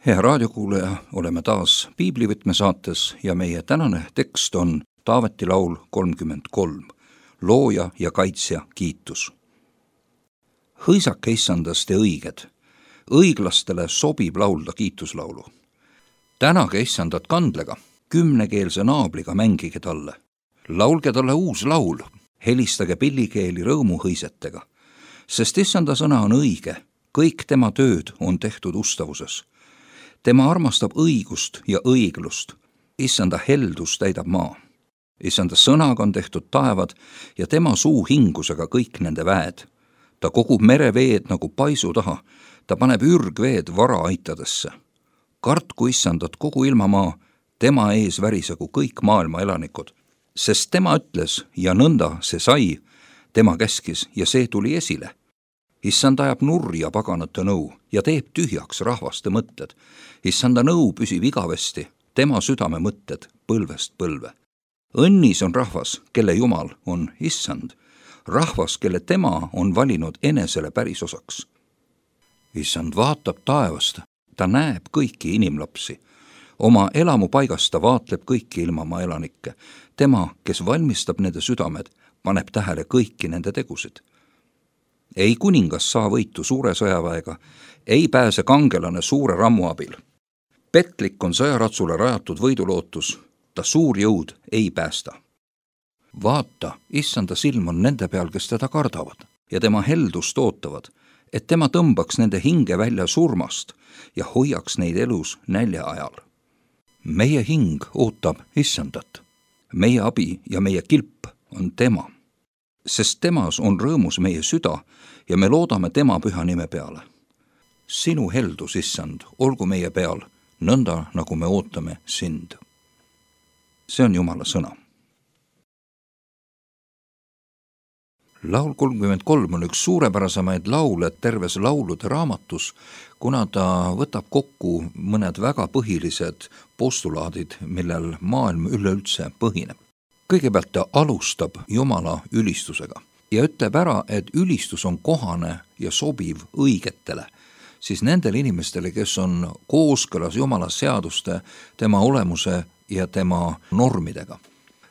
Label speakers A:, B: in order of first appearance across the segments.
A: Hea raadiokuulaja, oleme taas Piiblivõtme saates ja meie tänane tekst on Taaveti laul 33, looja ja kaitsja kiitus. Hõisake issandast ja õiged, õiglastele sobib laulda kiituslaulu. Tänage issandat kandlega, 10-keelse naabliga mängige talle. Laulge talle uus laul, helistage pillikeeli rõõmuhõisetega, sest issanda sõna on õige, kõik tema tööd on tehtud ustavuses. Tema armastab õigust ja õiglust, issanda heldus täidab maa. Issanda sõnaga on tehtud taevad ja tema suu hingusega kõik nende väed. Ta kogub mereveed nagu paisu taha, ta paneb ürgveed varaaitadesse. Kartku issandat kogu ilmamaa, tema ees värisegu kõik maailma elanikud. Sest tema ütles ja nõnda see sai, tema käskis ja see tuli esile. Issand ajab nurja paganate nõu ja teeb tühjaks rahvaste mõtted. Issanda nõu püsib igavesti, tema südame mõtted põlvest põlve. Õnnis on rahvas, kelle Jumal on issand, rahvas, kelle tema on valinud enesele pärisosaks. Issand vaatab taevast, ta näeb kõiki inimlapsi. Oma elamupaigast ta vaatleb kõiki ilmamaa elanikke. Tema, kes valmistab nende südamed, paneb tähele kõiki nende tegusid. Ei kuningas saa võitu suure sõjaväega, ei pääse kangelane suure rammu abil. Petlik on sõjaratsule rajatud võidulootus, ta suur jõud ei päästa. Vaata, issanda silm on nende peal, kes teda kardavad ja tema heldust ootavad, et tema tõmbaks nende hinge välja surmast ja hoiaks neid elus nälja ajal. Meie hing ootab issandat, meie abi ja meie kilp on tema. Sest temas on rõõmus meie süda ja me loodame tema püha nime peale. Sinu heldus, issand, olgu meie peal, nõnda nagu me ootame sind. See on Jumala sõna. Laul 33 on üks suurepärasemaid laule terves laulude raamatus, kuna ta võtab kokku mõned väga põhilised postulaadid, millel maailm üleüldse põhineb. Kõigepealt ta alustab Jumala ülistusega ja ütleb ära, et ülistus on kohane ja sobiv õigetele, siis nendele inimestele, kes on kooskõlas Jumala seaduste, tema olemuse ja tema normidega.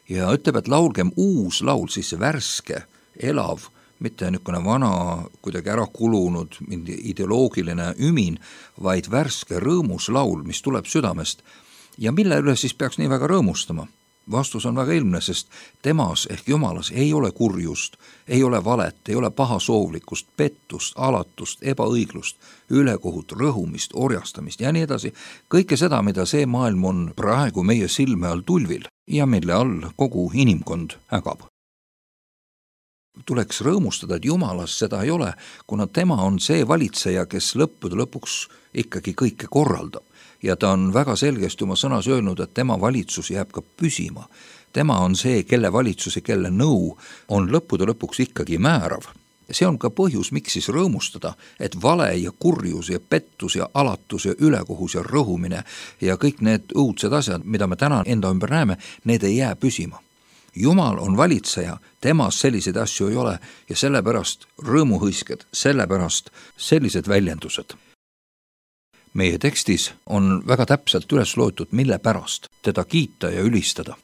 A: Ja ütleb, et laulgem uus laul, siis värske, elav, mitte niisugune vana, kuidagi ära kulunud, ideoloogiline ümin, vaid värske rõõmus laul, mis tuleb südamest ja mille üle siis peaks nii väga rõõmustama. Vastus on väga ilmne, sest temas ehk Jumalas ei ole kurjust, ei ole valet, ei ole pahasoovlikkust, pettust, alatust, ebaõiglust, ülekohut, rõhumist, orjastamist ja nii edasi. Kõike seda, mida see maailm on praegu meie silme all tulvil ja mille all kogu inimkond ägab. Tuleks rõõmustada, et Jumalas seda ei ole, kuna tema on see valitseja, kes lõppude lõpuks ikkagi kõike korraldab. Ja ta on väga selgesti oma sõnas öelnud, et tema valitsus jääb ka püsima. Tema on see, kelle valitsus ja kelle nõu on lõppude lõpuks ikkagi määrav. See on ka põhjus, miks siis rõõmustada, et vale ja kurjus ja pettus ja alatus ja ülekohus ja rõhumine ja kõik need õudsed asjad, mida me täna enda ümber näeme, need ei jää püsima. Jumal on valitseja, temas selliseid asju ei ole ja sellepärast rõõmuhõisked, sellepärast sellised väljendused. Meie tekstis on väga täpselt üles loetud, mille pärast teda kiita ja ülistada.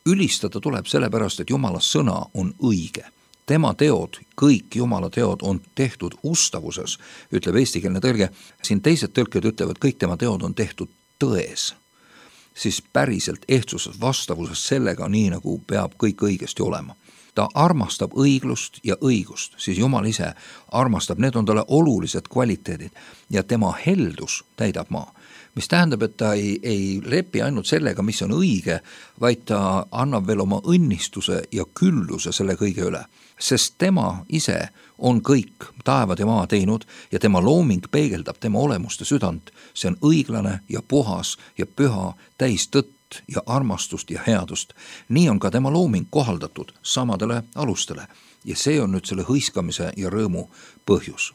A: Ülistada tuleb sellepärast, et Jumala sõna on õige. Tema teod, kõik Jumala teod on tehtud ustavuses, ütleb eestikeelne tõlge. Siin teised tõlked ütlevad, kõik tema teod on tehtud tões. Siis päriselt ehtsuses vastavuses sellega, nii nagu peab kõik õigesti olema. Ta armastab õiglust ja õigust, siis Jumal ise armastab, need on talle olulised kvaliteedid ja tema heldus täidab maa. Mis tähendab, et ta ei lepi ainult sellega, mis on õige, vaid ta annab veel oma õnnistuse ja külluse selle kõige üle. Sest tema ise on kõik taevad ja maa teinud ja tema looming peegeldab tema olemust ja südant. See on õiglane ja puhas ja püha, täis tõtt ja armastust ja headust. Nii on ka tema looming kohaldatud samadele alustele ja see on nüüd selle hõiskamise ja rõõmu põhjus.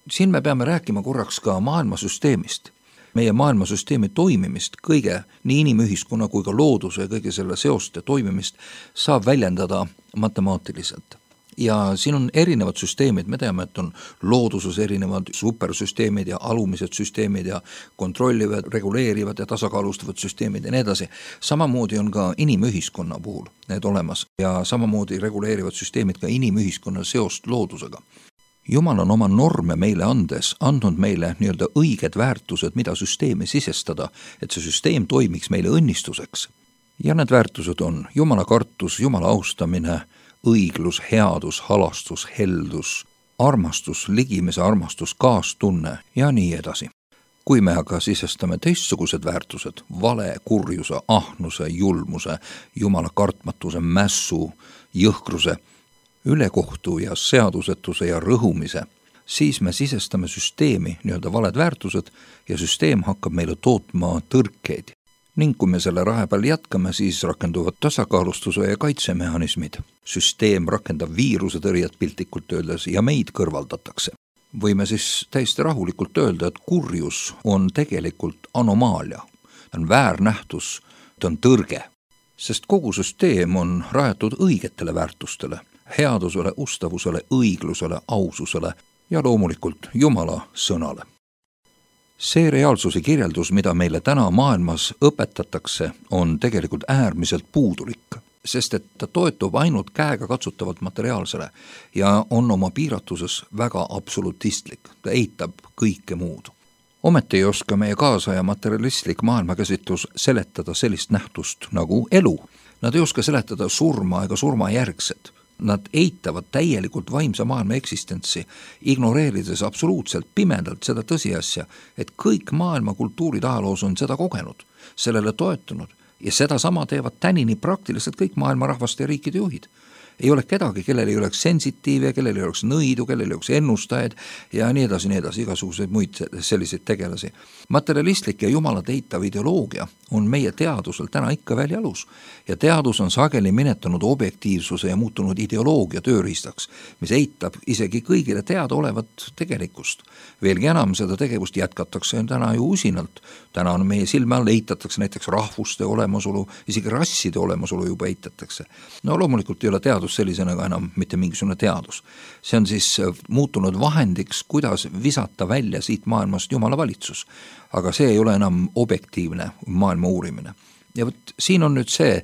A: Siin me peame rääkima korraks ka maailmasüsteemist. Meie maailmasüsteemi toimimist, kõige nii inimühiskonna kui ka looduse ja kõige selle seoste toimimist saab väljendada matemaatiliselt. Ja siin on erinevad süsteemid, me teame, et on looduses erinevad supersüsteemid ja alumised süsteemid ja kontrollivad, reguleerivad ja tasakaalustavad süsteemid ja nii edasi. Samamoodi on ka inimühiskonna puhul need olemas ja samamoodi reguleerivad süsteemid ka inimühiskonna seost loodusega. Jumal on oma norme meile andes andnud meile nii-öelda õiged väärtused, mida süsteemi sisestada, et see süsteem toimiks meile õnnistuseks. Ja need väärtused on Jumala kartus, Jumala austamine, õiglus, headus, halastus, heldus, armastus, ligimise armastus, kaastunne ja nii edasi. Kui me aga sisestame teistsugused väärtused, vale, kurjuse, ahnuse, julmuse, Jumala kartmatuse, mässu, jõhkruse, ülekohtu ja seadusetuse ja rõhumise, siis me sisestame süsteemi nii-öelda valed väärtused ja süsteem hakkab meile tootma tõrkeid. Ning kui me selle rahe peal jätkame, siis rakenduvad tasakaalustuse ja kaitsemehhanismid. Süsteem rakendab viiruse tõrjet piltlikult öeldes ja meid kõrvaldatakse. Võime siis täiesti rahulikult öelda, et kurjus on tegelikult anomaalia. Ta on väärnähtus, ta on tõrge. Sest kogu süsteem on rajatud õigetele väärtustele, headusele, ustavusele, õiglusele, aususele ja loomulikult Jumala sõnale. See reaalsuse kirjeldus, mida meile täna maailmas õpetatakse, on tegelikult äärmiselt puudulik, sest et ta toetub ainult käega katsutavalt materiaalsele ja on oma piiratuses väga absolutistlik, ta eitab kõike muud. Ometi ei oska meie kaasaja materialistlik maailmakäsitlus seletada sellist nähtust nagu elu. Nad ei oska seletada surma ega surmajärgset. Nad eitavad täielikult vaimse maailma eksistentsi, ignoreerides absoluutselt pimedalt seda tõsiasja, et kõik maailma kultuurid ajaloos on seda kogenud, sellele toetunud ja seda sama teevad tänini praktiliselt kõik maailma rahvaste ja riikide juhid. Ei ole kedagi, kellel ei oleks sensitiive, kellel ei oleks nõidu, kellel ei oleks ennustajaid ja nii edasi, igasuguseid muid selliseid tegelasi. Materialistlik ja jumalat eitav ideoloogia on meie teadusel täna ikka veel jalus ja teadus on sageli minetanud objektiivsuse ja muutunud ideoloogia tööriistaks, mis eitab isegi kõigile teada olevat tegelikkust. Veelgi enam seda tegevust jätkatakse täna ju usinalt. Täna on meie silme all eitatakse näiteks rahvuste olemasolu, isegi rasside olemasolu juba eitatakse. No loomulikult ei ole teadus sellisena ka enam mitte mingisugune teadus. See on siis muutunud vahendiks, kuidas visata välja siit maailmast Jumala valitsus. Aga see ei ole enam objektiivne maailma uurimine. Ja võt, siin on nüüd see,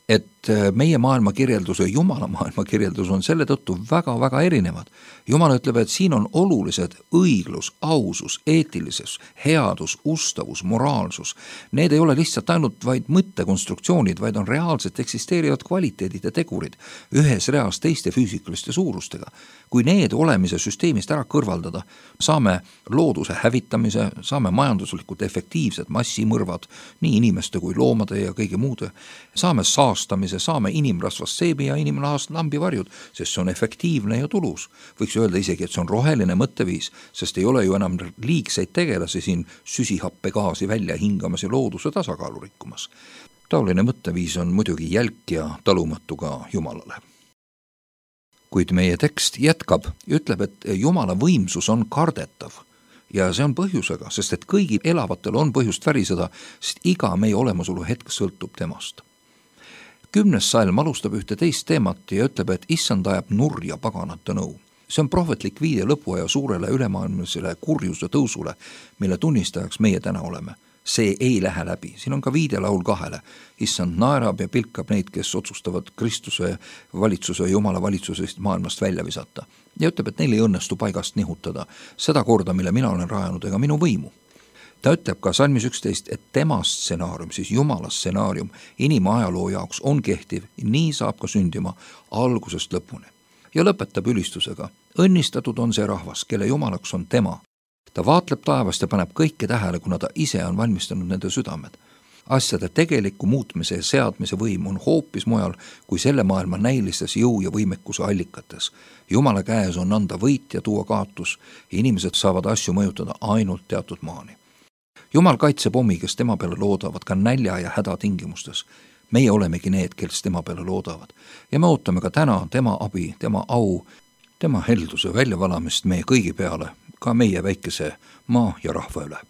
A: et meie maailmakirjeldus ja Jumala maailmakirjeldus on selle tõttu väga-väga erinevad. Jumal ütleb, et siin on olulised õiglus, ausus, eetilisus, headus, ustavus, moraalsus. Need ei ole lihtsalt ainult vaid mõttekonstruktsioonid, vaid on reaalselt eksisteerivad kvaliteedid ja tegurid ühes reas teiste füüsikaliste suurustega. Kui need olemise süsteemist ära kõrvaldada, saame looduse hävitamise, saame majanduslikult efektiivsed massimõrvad, nii inimeste kui loomade ja kõige muude, saame saastamise, saame inimrasvast seebi ja inimrahast lambivarjud, sest see on efektiivne ja tulus. Võiks öelda isegi, et see on roheline mõtteviis, sest ei ole ju enam liigseid tegelasi siin süsihappegaasi välja hingamas ja looduse tasakaalu rikkumas. Taoline mõtteviis on muidugi jälk ja talumatu ka Jumalale. Kuid meie tekst jätkab, ütleb, et Jumala võimsus on kardetav ja see on põhjusega, sest et kõigi elavatel on põhjust väriseda, sest iga meie olemasolu hetk sõltub temast. 10. salm alustab ühte teist teemat ja ütleb, et issand ajab nurja paganate nõu. See on prohvetlik viide lõpuaja suurele ülemaailmsele kurjuse tõusule, mille tunnistajaks meie täna oleme. See ei lähe läbi. Siin on ka viide laul 2. Issand naerab ja pilkab neid, kes otsustavad Kristuse valitsuse ja Jumala valitsusest maailmast välja visata. Ja ütleb, et neil ei õnnestu paigast nihutada seda korda, mille mina olen rajanud, ega minu võimu. Ta ütleb ka salmis 11, et tema stsenaarium, siis Jumala stsenaarium inimajaloo jaoks on kehtiv, nii saab ka sündima algusest lõpuni. Ja lõpetab ülistusega. Õnnistatud on see rahvas, kelle Jumalaks on tema. Ta vaatleb taevast ja paneb kõike tähele, kuna ta ise on valmistanud nende südamed. Asjade tegeliku muutmise ja seadmise võim on hoopis mujal kui selle maailma näilistes jõu ja võimekuse allikates. Jumala käes on anda võit ja tuua kaotus ja inimesed saavad asju mõjutada ainult teatud maani. Jumal kaitseb omi, kes tema peale loodavad ka nälja ja häda tingimustes. Meie olemegi need, kes tema peale loodavad. Ja me ootame ka täna tema abi, tema au, tema helduse väljavalamist meie kõigi peale, ka meie väikese maa ja rahva üle.